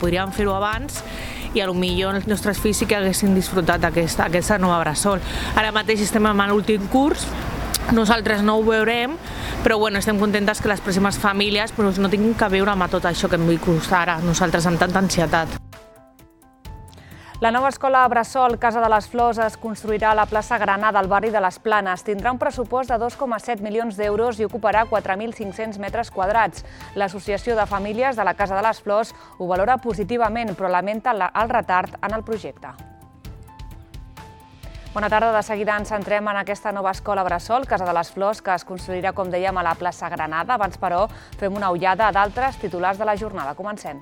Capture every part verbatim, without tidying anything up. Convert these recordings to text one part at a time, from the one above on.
podríem fer-ho abans i potser els nostres fills sí que haguessin disfrutat aquesta, aquesta nova bressol. Ara mateix estem en l'últim curs, nosaltres no ho veurem, però bueno, estem contentes que les pròximes famílies doncs, no tinguin que veure amb tot això que hem viscut ara, nosaltres amb tanta ansietat. La nova escola Bressol Casa de les Flors es construirà a la plaça Granada, al barri de les Planes. Tindrà un pressupost de dos coma set milions d'euros i ocuparà quatre mil cinc-cents metres quadrats. L'Associació de Famílies de la Casa de les Flors ho valora positivament, però lamenta el retard en el projecte. Bona tarda, de seguida ens centrem en aquesta nova escola Bressol, Casa de les Flors, que es construirà, com dèiem, a la plaça Granada. Abans, però, fem una ullada a d'altres titulars de la jornada. Comencem.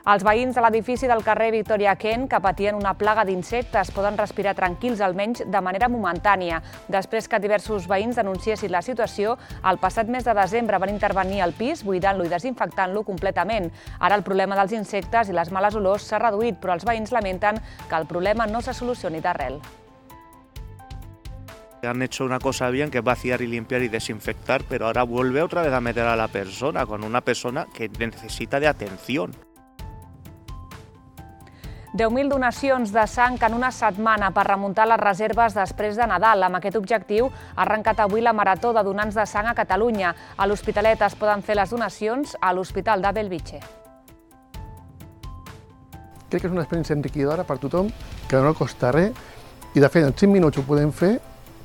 Els veïns de l'edifici del carrer Victòria Kent, que patien una plaga d'insectes, poden respirar tranquils, almenys de manera momentània. Després que diversos veïns denunciessin la situació, el passat mes de desembre van intervenir al pis, buidant-lo i desinfectant-lo completament. Ara el problema dels insectes i les males olors s'ha reduït, però els veïns lamenten que el problema no se solucioni d'arrel. Han hecho una cosa bien, que es vaciar y limpiar y desinfectar, pero ahora vuelve otra vez a meter a la persona, con una persona que necesita de atención. deu mil donacions de sang en una setmana per remuntar les reserves després de Nadal. Amb aquest objectiu ha arrencat avui la Marató de Donants de Sang a Catalunya. A l'Hospitalet es poden fer les donacions a l'Hospital de Bellvitge. Crec que és una experiència enriquidora per tothom, que no costa res, i de fet en cinc minuts ho podem fer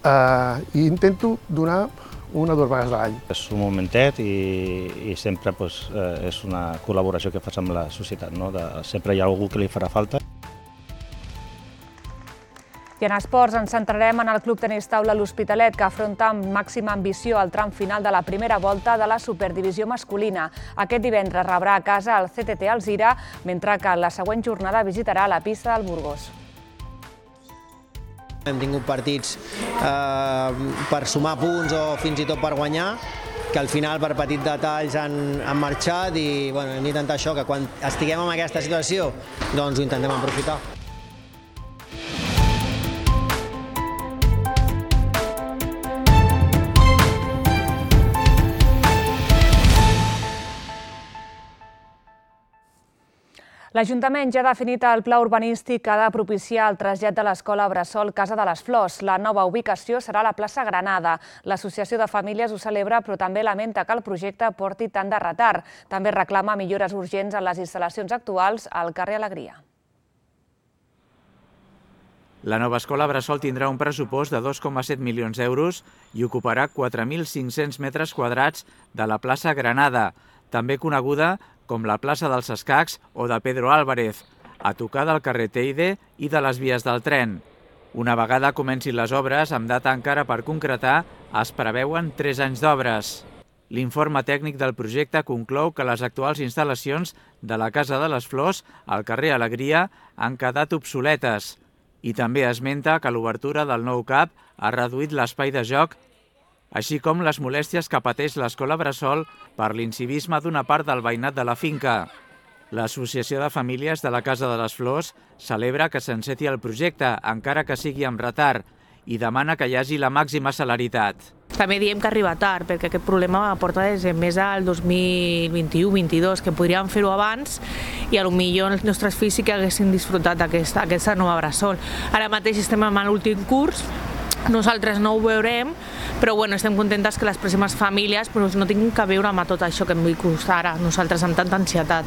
eh, i intento donar una o dues vegades a l'any. És un momentet i, i sempre pues, eh, és una col·laboració que fas amb la societat. No? De, sempre hi ha algú que li farà falta. I en esports ens centrarem en el Club Tenis Taula L'Hospitalet, que afronta amb màxima ambició el tram final de la primera volta de la Superdivisió masculina. Aquest divendres rebrà a casa el C T T Alzira, mentre que la següent jornada visitarà la pista del Burgos. Hem tingut partits eh, per sumar punts o fins i tot per guanyar, que al final per petits detalls han, han marxat i bueno, hem d'intentar això, que quan estiguem en aquesta situació doncs ho intentem aprofitar. L'Ajuntament ja ha definit el pla urbanístic que ha de propiciar el trasllat de l'escola Bressol Casa de les Flors. La nova ubicació serà a la plaça Granada. L'Associació de Famílies ho celebra, però també lamenta que el projecte porti tant de retard. També reclama millores urgents en les instal·lacions actuals al carrer Alegria. La nova escola Bressol tindrà un pressupost de dos coma set milions d'euros i ocuparà quatre mil cinc-cents metres quadrats de la plaça Granada, també coneguda com la plaça dels Escacs o de Pedro Álvarez, a tocar del carrer Teide i de les vies del tren. Una vegada comencin les obres, amb data encara per concretar, es preveuen tres anys d'obres. L'informe tècnic del projecte conclou que les actuals instal·lacions de la Casa de les Flors al carrer Alegria han quedat obsoletes i també esmenta que l'obertura del nou CAP ha reduït l'espai de joc, així com les molèsties que pateix l'escola Bressol per l'incivisme d'una part del veïnat de la finca. L'Associació de Famílies de la Casa de les Flors celebra que s'enceti el projecte, encara que sigui amb retard, i demana que hi hagi la màxima celeritat. També diem que arriba tard, perquè aquest problema porta des de més al dos mil vint-i-u vint-i-dos, que podríem fer-ho abans i potser els nostres fills sí que haguessin disfrutat d'aquesta aquesta nova Bressol. Ara mateix estem en l'últim curs, nosaltres no ho veurem, però bueno, estem contentes que les pròximes famílies doncs, no tinguin que veure amb tot això que hem viscut ara, nosaltres amb tanta ansietat.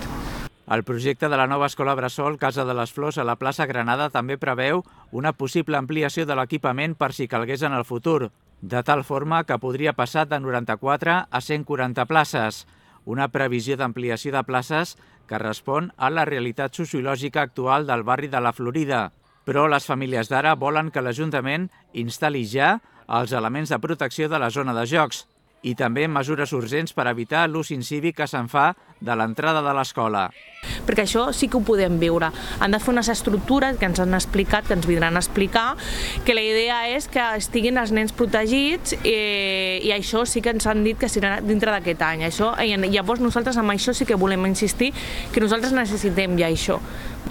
El projecte de la nova escola Bressol Casa de les Flors a la plaça Granada també preveu una possible ampliació de l'equipament per si calgués en el futur, de tal forma que podria passar de noranta-quatre a cent quaranta places, una previsió d'ampliació de places que respon a la realitat sociològica actual del barri de la Florida. Però les famílies d'ara volen que l'Ajuntament instal·li ja els elements de protecció de la zona de jocs i també mesures urgents per evitar l'ús incívic que se'n fa de l'entrada de l'escola. Perquè això sí que ho podem viure. Han de fer unes estructures que ens han explicat, que ens vindran a explicar, que la idea és que estiguin els nens protegits eh, i això sí que ens han dit que serà dintre d'aquest any. Això, i llavors nosaltres amb això sí que volem insistir que nosaltres necessitem ja això.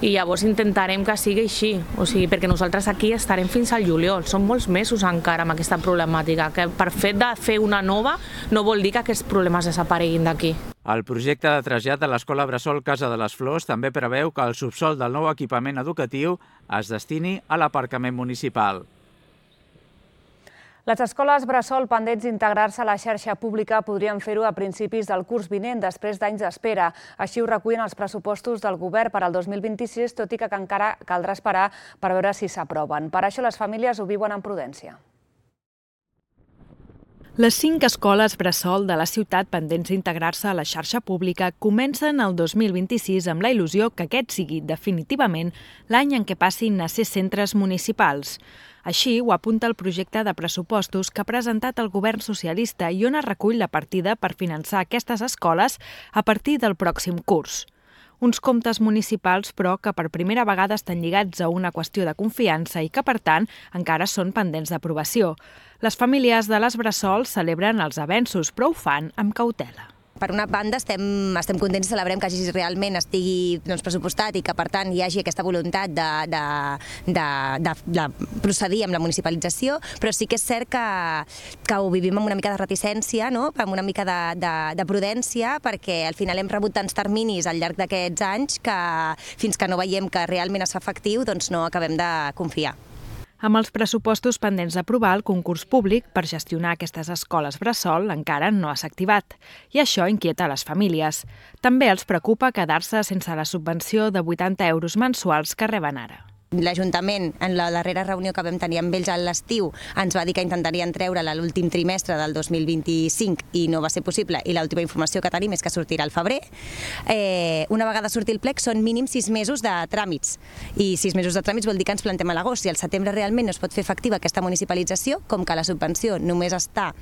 I llavors intentarem que sigui així, o sigui, perquè nosaltres aquí estarem fins al juliol, són molts mesos encara amb aquesta problemàtica, que per fet de fer una nova no vol dir que aquests problemes desapareguin d'aquí. El projecte de trasllat de l'Escola Bressol Casa de les Flors també preveu que el subsòl del nou equipament educatiu es destini a l'aparcament municipal. Les escoles bressol pendents d'integrar-se a la xarxa pública podrien fer-ho a principis del curs vinent, després d'anys d'espera. Així ho recullen els pressupostos del govern per al dos mil vint-i-sis, tot i que encara caldrà esperar per veure si s'aproven. Per això les famílies ho viuen amb prudència. Les cinc escoles bressol de la ciutat pendents d'integrar-se a la xarxa pública comencen el dos mil vint-i-sis amb la il·lusió que aquest sigui definitivament l'any en què passin a ser centres municipals. Així ho apunta el projecte de pressupostos que ha presentat el govern socialista i on es recull la partida per finançar aquestes escoles a partir del pròxim curs. Uns comptes municipals, però, que per primera vegada estan lligats a una qüestió de confiança i que, per tant, encara són pendents d'aprovació. Les famílies de les bressol celebren els avenços, però ho fan amb cautela. Per una banda, estem, estem contents i celebrem que hagi realment estigui doncs, pressupostat i que, per tant, hi hagi aquesta voluntat de, de, de, de, de procedir amb la municipalització, però sí que és cert que, que ho vivim amb una mica de reticència, no? Amb una mica de, de, de prudència, perquè al final hem rebut tants terminis al llarg d'aquests anys que fins que no veiem que realment es fa efectiu, doncs no acabem de confiar. Amb els pressupostos pendents d'aprovar, el concurs públic per gestionar aquestes escoles bressol encara no s'ha activat, i això inquieta les famílies. També els preocupa quedar-se sense la subvenció de vuitanta euros mensuals que reben ara. L'Ajuntament, en la darrera reunió que vam tenir amb ells a l'estiu, ens va dir que intentarien treure-la l'últim trimestre del dos mil vint-i-cinc i no va ser possible, i l'última informació que tenim és que sortirà al febrer. Eh, una vegada surti el plec són mínim sis mesos de tràmits, i sis mesos de tràmits vol dir que ens plantem a l'agost. Si al setembre realment no es pot fer efectiva aquesta municipalització, com que la subvenció només està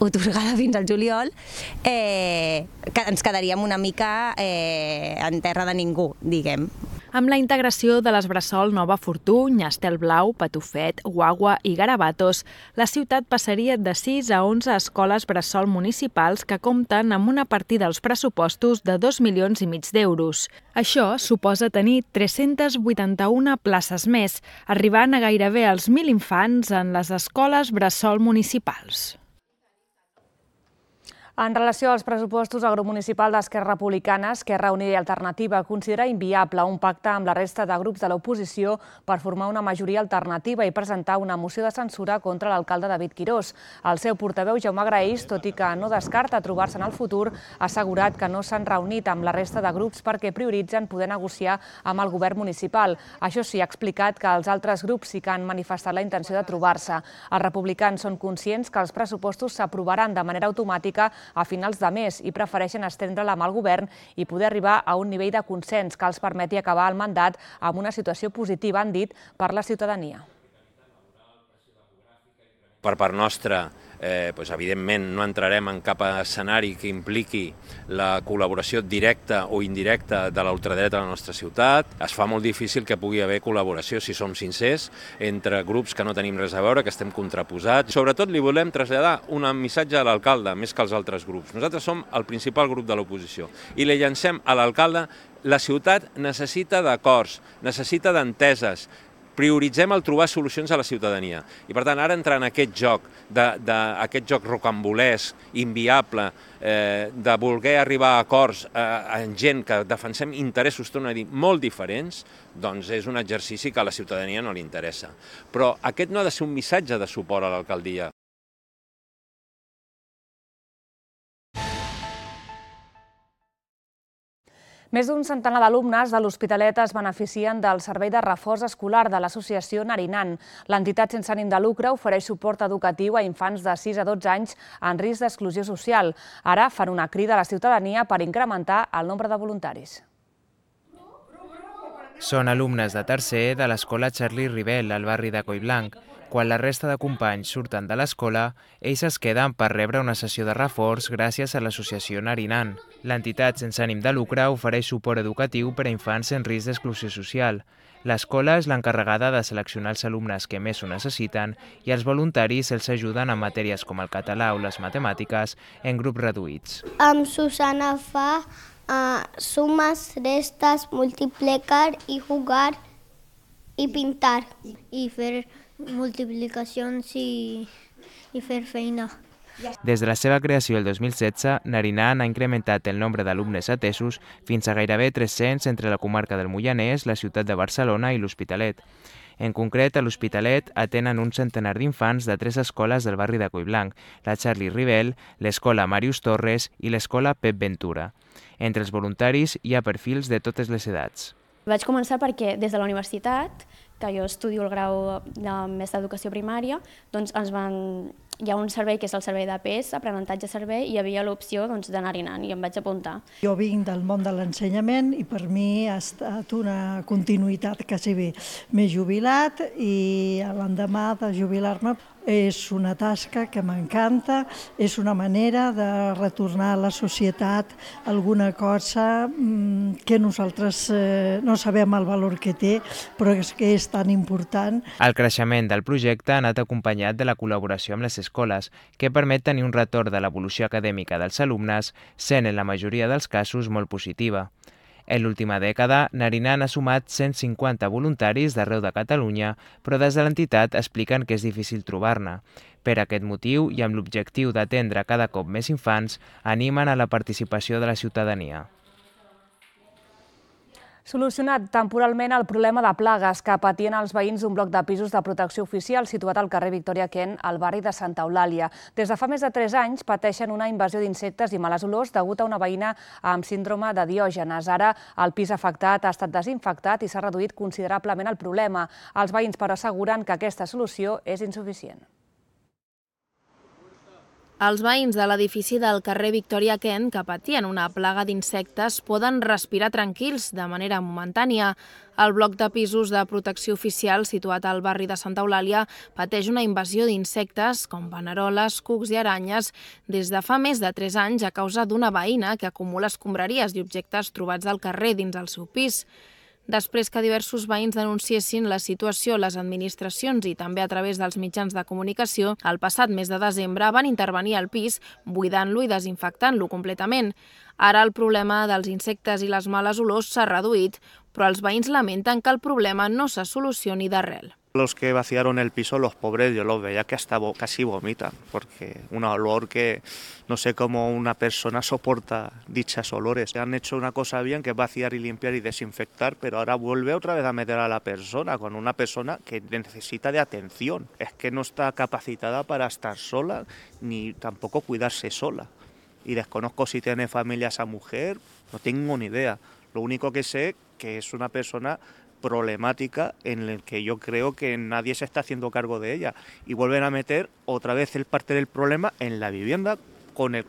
otorgada fins al juliol, eh, que ens quedaríem una mica eh, en terra de ningú, diguem. Amb la integració de les bressol Nova Fortuny, Estelblau, Patufet, Guagua i Garabatos, la ciutat passaria de sis a onze escoles bressol municipals que compten amb una partida dels pressupostos de dos milions i mig d'euros. Això suposa tenir tres-centes vuitanta-una places més, arribant a gairebé als mil infants en les escoles bressol municipals. En relació als pressupostos, el grup municipal d'Esquerra Republicana, Esquerra Unida i Alternativa considera inviable un pacte amb la resta de grups de l'oposició per formar una majoria alternativa i presentar una moció de censura contra l'alcalde David Quirós. El seu portaveu, Jaume Graells, tot i que no descarta trobar-se en el futur, ha assegurat que no s'han reunit amb la resta de grups perquè prioritzen poder negociar amb el govern municipal. Això sí, ha explicat que els altres grups sí que han manifestat la intenció de trobar-se. Els republicans són conscients que els pressupostos s'aprovaran de manera automàtica a finals de mes i prefereixen estendre-la amb el govern i poder arribar a un nivell de consens que els permeti acabar el mandat amb una situació positiva, han dit, per la ciutadania. Per part nostra, eh, doncs, evidentment, no entrarem en cap escenari que impliqui la col·laboració directa o indirecta de la ultradreta a la nostra ciutat. Es fa molt difícil que pugui haver col·laboració, si som sincers, entre grups que no tenim res a veure, que estem contraposats. Sobretot li volem traslladar un missatge a l'alcalde, més que als altres grups. Nosaltres som el principal grup de l'oposició i li llancem a l'alcalde: la ciutat necessita d'acords, necessita d'enteses, prioritzem el trobar solucions a la ciutadania. I per tant, ara entrar en aquest joc, de, de, aquest joc rocambolesc, inviable, eh, de voler arribar a acords eh, en gent que defensem interessos, torno a dir, molt diferents, doncs és un exercici que a la ciutadania no li interessa. Però aquest no ha de ser un missatge de suport a l'alcaldia. Més d'un centenar d'alumnes de l'Hospitalet es beneficien del servei de reforç escolar de l'associació Narinan. L'entitat sense ànim de lucre ofereix suport educatiu a infants de sis a dotze anys en risc d'exclusió social. Ara fan una crida a la ciutadania per incrementar el nombre de voluntaris. Són alumnes de tercer de l'escola Charlie Rivel, al barri de Collblanc. Quan la resta de companys surten de l'escola, ells es queden per rebre una sessió de reforç gràcies a l'associació Narinan. L'entitat sense ànim de lucre ofereix suport educatiu per a infants en risc d'exclusió social. L'escola és l'encarregada de seleccionar els alumnes que més ho necessiten i els voluntaris els ajuden en matèries com el català o les matemàtiques en grups reduïts. Amb Susana fa uh, sumes, restes, multiplicar i jugar i pintar. I fer multiplicacions i, i fer feina. Des de la seva creació el dos mil setze, Narinan ha incrementat el nombre d'alumnes atesos fins a gairebé tres-cents entre la comarca del Moianès, la ciutat de Barcelona i l'Hospitalet. En concret, a l'Hospitalet atenen un centenar d'infants de tres escoles del barri de Collblanc, la Charlie Rivel, l'escola Màrius Torres i l'escola Pep Ventura. Entre els voluntaris hi ha perfils de totes les edats. Vaig començar perquè des de la universitat, que jo estudio el grau de mestre d'educació primària, doncs ens van... hi ha un servei que és el servei d'A P E S, aprenentatge servei, i hi havia l'opció d'anar-hi anant i em vaig apuntar. Jo vinc del món de l'ensenyament i per mi ha estat una continuïtat quasi bé. M'he jubilat i l'endemà de jubilar-me és una tasca que m'encanta, és una manera de retornar a la societat alguna cosa que nosaltres no sabem el valor que té, però és que és tan important. El creixement del projecte ha anat acompanyat de la col·laboració amb les escoles, que permet tenir un retorn de l'evolució acadèmica dels alumnes, sent en la majoria dels casos molt positiva. En l'última dècada, Narinan ha sumat cent cinquanta voluntaris d'arreu de Catalunya, però des de l'entitat expliquen que és difícil trobar-ne. Per aquest motiu, i amb l'objectiu d'atendre cada cop més infants, animen a la participació de la ciutadania. Solucionat temporalment el problema de plagues que patien els veïns d'un bloc de pisos de protecció oficial situat al carrer Victòria Kent, al barri de Santa Eulàlia. Des de fa més de tres anys pateixen una invasió d'insectes i males olors degut a una veïna amb síndrome de Diògenes. Ara el pis afectat ha estat desinfectat i s'ha reduït considerablement el problema. Els veïns però asseguren que aquesta solució és insuficient. Els veïns de l'edifici del carrer Victòria Kent, que patien una plaga d'insectes, poden respirar tranquils de manera momentània. El bloc de pisos de protecció oficial situat al barri de Santa Eulàlia pateix una invasió d'insectes com paneroles, cucs i aranyes des de fa més de tres anys a causa d'una veïna que acumula escombraries i objectes trobats al carrer dins el seu pis. Després que diversos veïns denunciessin la situació a les administracions i també a través dels mitjans de comunicació, el passat mes de desembre van intervenir al pis, buidant-lo i desinfectant-lo completament. Ara el problema dels insectes i les males olors s'ha reduït, però els veïns lamenten que el problema no se solucioni d'arrel. Los que vaciaron el piso, los pobres, yo los veía que hasta casi vomitan, porque un olor que no sé cómo una persona soporta dichos olores. Han hecho una cosa bien, que es vaciar y limpiar y desinfectar, pero ahora vuelve otra vez a meter a la persona, con una persona que necesita de atención. Es que no está capacitada para estar sola, ni tampoco cuidarse sola. Y desconozco si tiene familia esa mujer, no tengo ni idea. Lo único que sé que es una persona problemática en el que yo creo que nadie se está haciendo cargo de ella y vuelven a meter otra vez el parte del problema en la vivienda con el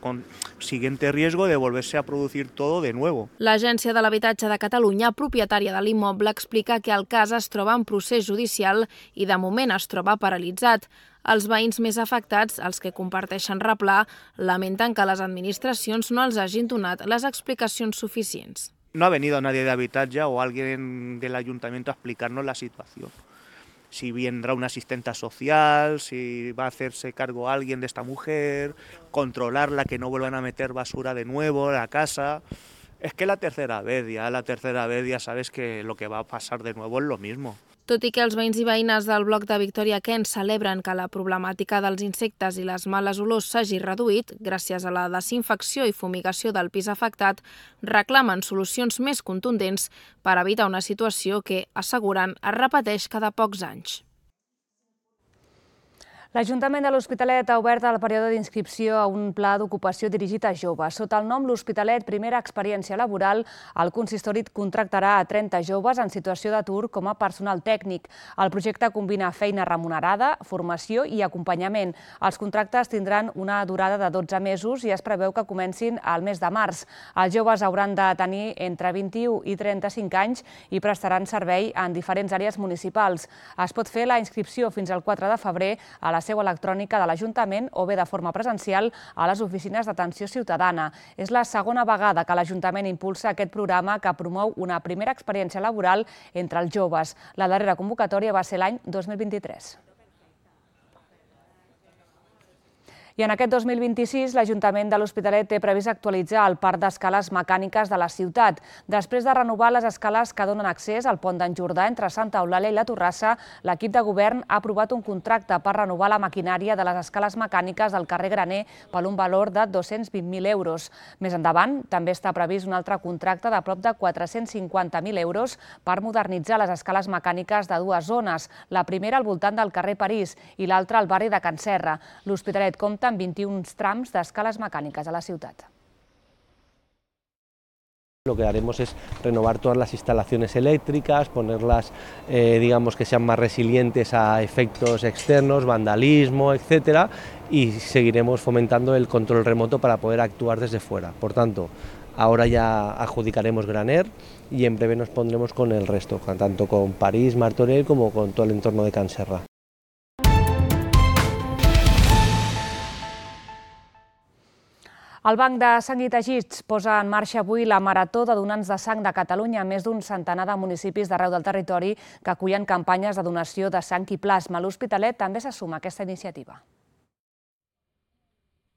siguiente riesgo de volverse a producir todo de nuevo. L'Agència de l'Habitatge de Catalunya, propietària de l'immoble, explica que el cas es troba en procés judicial i de moment es troba paralitzat. Els veïns més afectats, els que comparteixen replà, lamenten que les administracions no els hagin donat les explicacions suficients. No ha venido nadie de Habitatge o alguien del ayuntamiento a explicarnos la situación. Si vendrá una asistente social, si va a hacerse cargo alguien de esta mujer, controlarla, que no vuelvan a meter basura de nuevo a la casa. Es que la tercera vez, ya la tercera vez ya sabes que lo que va a pasar de nuevo es lo mismo. Tot i que els veïns i veïnes del bloc de Victòria Kent celebren que la problemàtica dels insectes i les males olors s'hagi reduït gràcies a la desinfecció i fumigació del pis afectat, reclamen solucions més contundents per evitar una situació que, asseguren, es repeteix cada pocs anys. L'Ajuntament de l'Hospitalet ha obert el període d'inscripció a un pla d'ocupació dirigit a joves. Sota el nom L'Hospitalet, primera experiència laboral, el consistori contractarà a trenta joves en situació d'atur com a personal tècnic. El projecte combina feina remunerada, formació i acompanyament. Els contractes tindran una durada de dotze mesos i es preveu que comencin al mes de març. Els joves hauran de tenir entre vint-i-u i trenta-cinc anys i prestaran servei en diferents àrees municipals. Es pot fer la inscripció fins al quatre de febrer a la la seu electrònica de l'Ajuntament o bé de forma presencial a les oficines d'atenció ciutadana. És la segona vegada que l'Ajuntament impulsa aquest programa que promou una primera experiència laboral entre els joves. La darrera convocatòria va ser l'any dos mil vint-i-tres. I en aquest dos mil vint-i-sis, l'Ajuntament de l'Hospitalet té previst actualitzar el parc d'escales mecàniques de la ciutat. Després de renovar les escales que donen accés al pont d'en Jordà entre Santa Eulàlia i la Torrassa, l'equip de govern ha aprovat un contracte per renovar la maquinària de les escales mecàniques del carrer Graner per un valor de dos-cents vint mil euros. Més endavant, també està previst un altre contracte de prop de quatre-cents cinquanta mil euros per modernitzar les escales mecàniques de dues zones, la primera al voltant del carrer París i l'altra al barri de Can Serra. L'Hospitalet compta amb vint-i-un trams d'escales mecàniques a la ciutat. Lo que haremos es renovar todas las instalaciones eléctricas, ponerlas, eh, digamos, que sean más resilientes a efectos externos, vandalismo, etcétera, y seguiremos fomentando el control remoto para poder actuar desde fuera. Por tanto, ahora ya adjudicaremos Graner y en breve nos pondremos con el resto, tanto con París, Martorell como con todo el entorno de Can Serra. El Banc de Sang i Teixits posa en marxa avui la Marató de Donants de Sang de Catalunya, més d'un centenar de municipis d'arreu del territori que acullen campanyes de donació de sang i plasma. L'Hospitalet també se suma a aquesta iniciativa.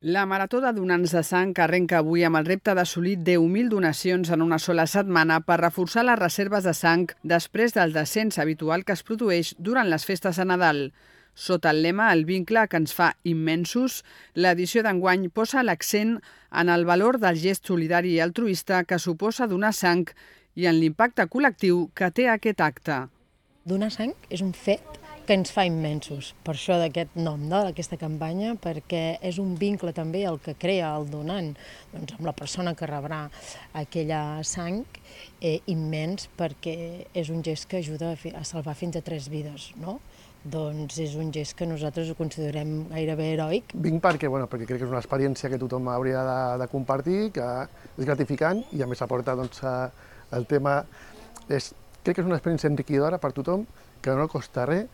La Marató de Donants de Sang arrenca avui amb el repte d'assolir deu mil donacions en una sola setmana per reforçar les reserves de sang després del descens habitual que es produeix durant les festes de Nadal. Sota el lema El vincle que ens fa immensos, l'edició d'enguany posa l'accent en el valor del gest solidari i altruista que suposa donar sang i en l'impacte col·lectiu que té aquest acte. Donar sang és un fet que ens fa immensos, per això d'aquest nom d'aquesta campanya, perquè és un vincle també el que crea el donant doncs, amb la persona que rebrà aquella sang eh, immens, perquè és un gest que ajuda a salvar fins a tres vides, no? Doncs és un gest que nosaltres ho considerem gairebé heroic. Vinc perquè, bueno, perquè crec que és una experiència que tothom hauria de, de compartir, que és gratificant i a més aporta doncs, el tema... És, crec que és una experiència enriquidora per tothom, que no costa res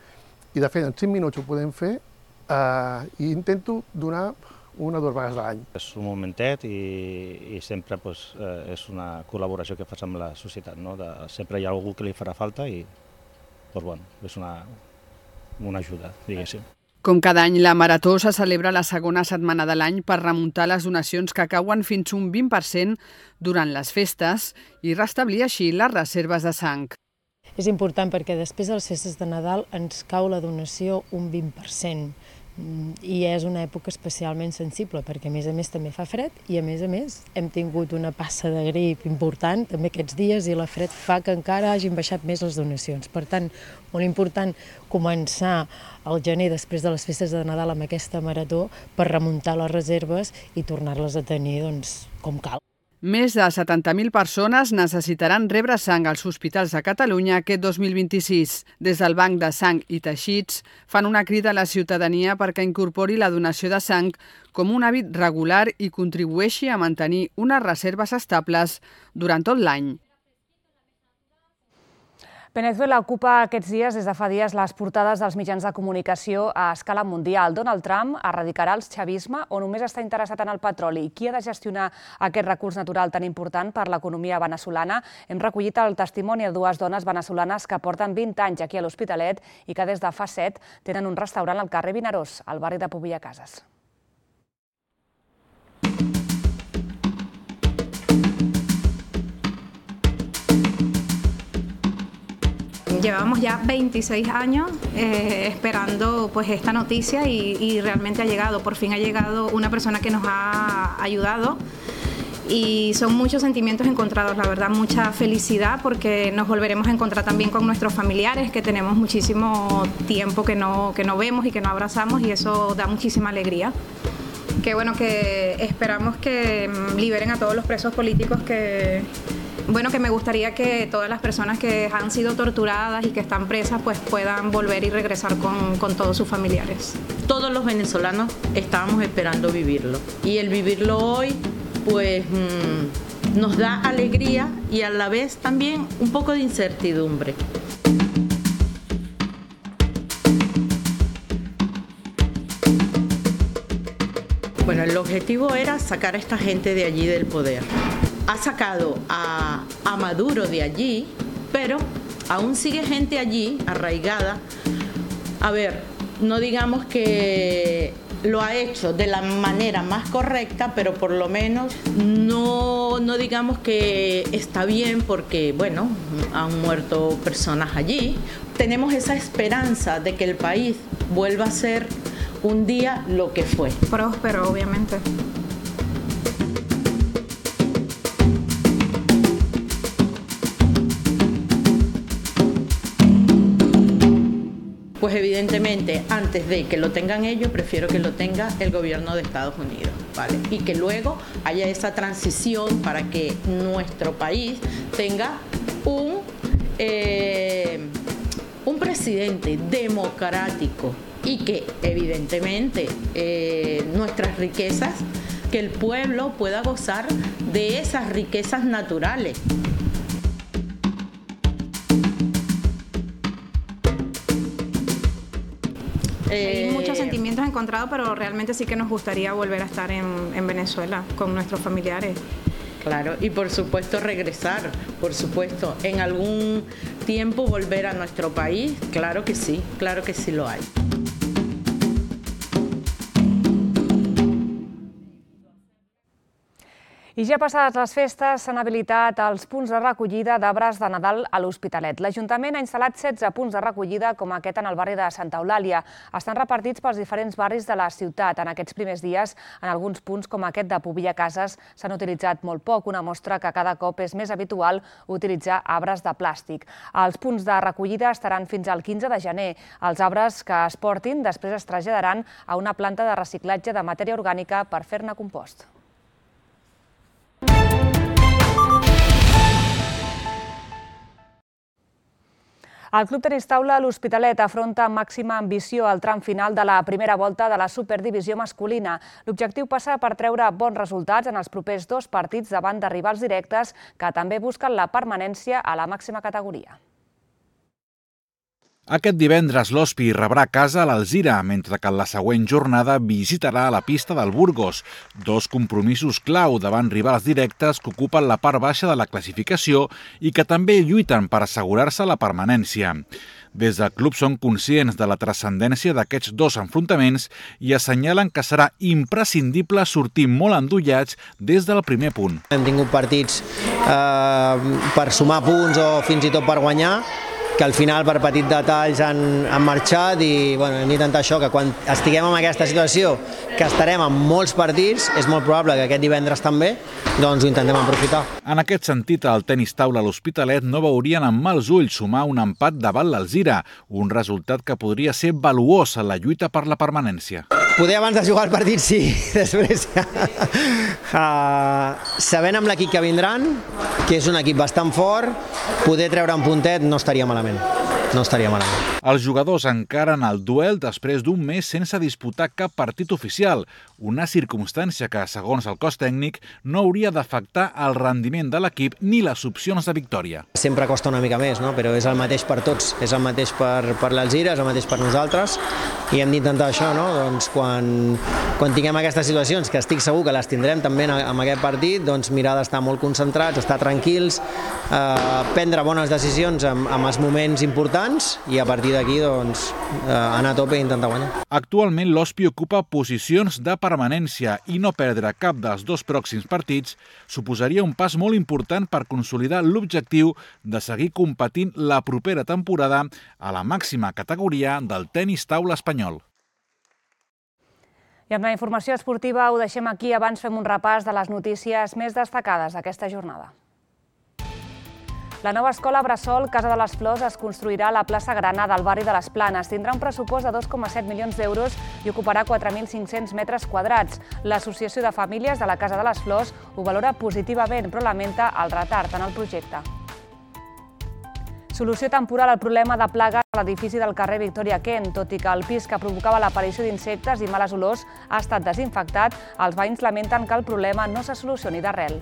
i de fet en cinc minuts ho podem fer eh, i intento donar una o dues vegades a l'any. És un momentet i, i sempre pues, eh, és una col·laboració que fas amb la societat. No? De, sempre hi ha algú que li farà falta i pues, bueno, és una... una ajuda, diguéssim. Com cada any, la Marató se celebra la segona setmana de l'any per remuntar les donacions que cauen fins un vint per cent durant les festes i restablir així les reserves de sang. És important perquè després de les festes de Nadal ens cau la donació un vint per cent i és una època especialment sensible perquè a més a més també fa fred i a més a més hem tingut una passa de grip important també aquests dies i la fred fa que encara hagin baixat més les donacions. Per tant, molt important començar al gener després de les festes de Nadal amb aquesta marató per remuntar les reserves i tornar-les a tenir doncs, com cal. Més de setanta mil persones necessitaran rebre sang als hospitals de Catalunya aquest dos mil vint-i-sis. Des del Banc de Sang i Teixits fan una crida a la ciutadania perquè incorpori la donació de sang com un hàbit regular i contribueixi a mantenir unes reserves estables durant tot l'any. Venezuela ocupa aquests dies, des de fa dies, les portades dels mitjans de comunicació a escala mundial. Donald Trump erradicarà el chavisme o només està interessat en el petroli? Qui ha de gestionar aquest recurs natural tan important per l'economia veneçolana? Hem recollit el testimoni de dues dones venezolanes que porten vint anys aquí a l'Hospitalet i que des de fa set tenen un restaurant al carrer Vinaròs, al barri de Pobilla Cases. Llevamos ya veintiséis años eh, esperando pues, esta noticia y, y realmente ha llegado, por fin ha llegado una persona que nos ha ayudado y son muchos sentimientos encontrados, la verdad, mucha felicidad porque nos volveremos a encontrar también con nuestros familiares que tenemos muchísimo tiempo que no, que no vemos y que no abrazamos y eso da muchísima alegría. Que bueno, que esperamos que liberen a todos los presos políticos que... Bueno, que me gustaría que todas las personas que han sido torturadas y que están presas pues puedan volver y regresar con, con todos sus familiares. Todos los venezolanos estábamos esperando vivirlo y el vivirlo hoy pues mmm, nos da alegría y a la vez también un poco de incertidumbre. Bueno, el objetivo era sacar a esta gente de allí del poder. Ha sacado a, a Maduro de allí, pero aún sigue gente allí, arraigada. A ver, no digamos que lo ha hecho de la manera más correcta, pero por lo menos no, no digamos que está bien porque, bueno, han muerto personas allí. Tenemos esa esperanza de que el país vuelva a ser un día lo que fue. Próspero, obviamente. Pues evidentemente, antes de que lo tengan ellos, prefiero que lo tenga el gobierno de Estados Unidos, ¿vale? Y que luego haya esa transición para que nuestro país tenga un, eh, un presidente democrático y que evidentemente eh, nuestras riquezas, que el pueblo pueda gozar de esas riquezas naturales. Hay muchos sentimientos encontrados, pero realmente sí que nos gustaría volver a estar en, en Venezuela con nuestros familiares. Claro, y por supuesto regresar, por supuesto, en algún tiempo volver a nuestro país, claro que sí, claro que sí lo hay. I ja passades les festes s'han habilitat els punts de recollida d'arbres de Nadal a l'Hospitalet. L'Ajuntament ha instal·lat setze punts de recollida com aquest en el barri de Santa Eulàlia. Estan repartits pels diferents barris de la ciutat. En aquests primers dies, en alguns punts com aquest de Pobilla Cases, s'han utilitzat molt poc, una mostra que cada cop és més habitual utilitzar arbres de plàstic. Els punts de recollida estaran fins al quinze de gener. Els arbres que es portin després es traslladaran a una planta de reciclatge de matèria orgànica per fer-ne compost. El Club Tenis Taula l'Hospitalet afronta amb màxima ambició el tram final de la primera volta de la Superdivisió masculina. L'objectiu passa per treure bons resultats en els propers dos partits davant de rivals directes que també busquen la permanència a la màxima categoria. Aquest divendres l'Hospi rebrà a casa a l'Alzira, mentre que en la següent jornada visitarà la pista del Burgos, dos compromisos clau davant rivals directes que ocupen la part baixa de la classificació i que també lluiten per assegurar-se la permanència. Des del club són conscients de la transcendència d'aquests dos enfrontaments i assenyalen que serà imprescindible sortir molt endollats des del primer punt. Hem tingut partits eh, per sumar punts o fins i tot per guanyar, que al final per petits detalls han, han marxat i bueno, hem d'intentar això, que quan estiguem en aquesta situació, que estarem en molts partits, és molt probable que aquest divendres també, doncs ho intentem aprofitar. En aquest sentit, el Tenis Taula a l'Hospitalet no veurien amb mals ulls sumar un empat davant l'Alzira, un resultat que podria ser valuós en la lluita per la permanència. Poder abans de jugar el partit sí, després ja. Uh, sabent amb l'equip que vindran, que és un equip bastant fort, poder treure un puntet no estaria malament. No estaria malament. Els jugadors encaren el duel després d'un mes sense disputar cap partit oficial, una circumstància que, segons el cos tècnic, no hauria d'afectar el rendiment de l'equip ni les opcions de victòria. Sempre costa una mica més, no? Però és el mateix per tots, és el mateix per, per l'Alzira, és el mateix per nosaltres i hem d'intentar això, no? Doncs quan, quan tinguem aquestes situacions, que estic segur que les tindrem també en aquest partit, doncs mirar d'estar molt concentrats, estar tranquils, eh, prendre bones decisions en, en els moments importants i a partir d'aquí doncs, eh, anar a tope i intentar guanyar. Actualment l'Hospi ocupa posicions de permanència i no perdre cap dels dos pròxims partits suposaria un pas molt important per consolidar l'objectiu de seguir competint la propera temporada a la màxima categoria del tenis taula espanyol. I amb la informació esportiva ho deixem aquí. Abans fem un repàs de les notícies més destacades d'aquesta jornada. La nova escola Bressol Casa de les Flors es construirà a la plaça Granada, al barri de les Planes. Tindrà un pressupost de dos coma set milions d'euros i ocuparà quatre mil cinc-cents metres quadrats. L'Associació de Famílies de la Casa de les Flors ho valora positivament, però lamenta el retard en el projecte. Solució temporal al problema de plagues a l'edifici del carrer Victòria Kent. Tot i que el pis que provocava l'aparició d'insectes i males olors ha estat desinfectat, els veïns lamenten que el problema no se solucioni d'arrel.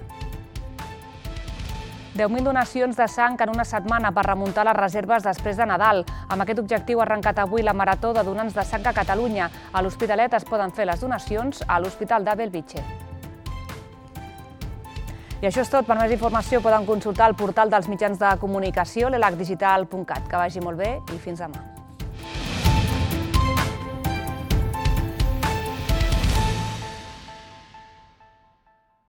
deu mil donacions de sang en una setmana per remuntar les reserves després de Nadal. Amb aquest objectiu ha arrencat avui la Marató de Donants de Sang a Catalunya. A l'Hospitalet es poden fer les donacions a l'Hospital de Bellvitge. I això és tot. Per més informació poden consultar el portal dels mitjans de comunicació, l'elac digital punt cat. Que vagi molt bé i fins demà.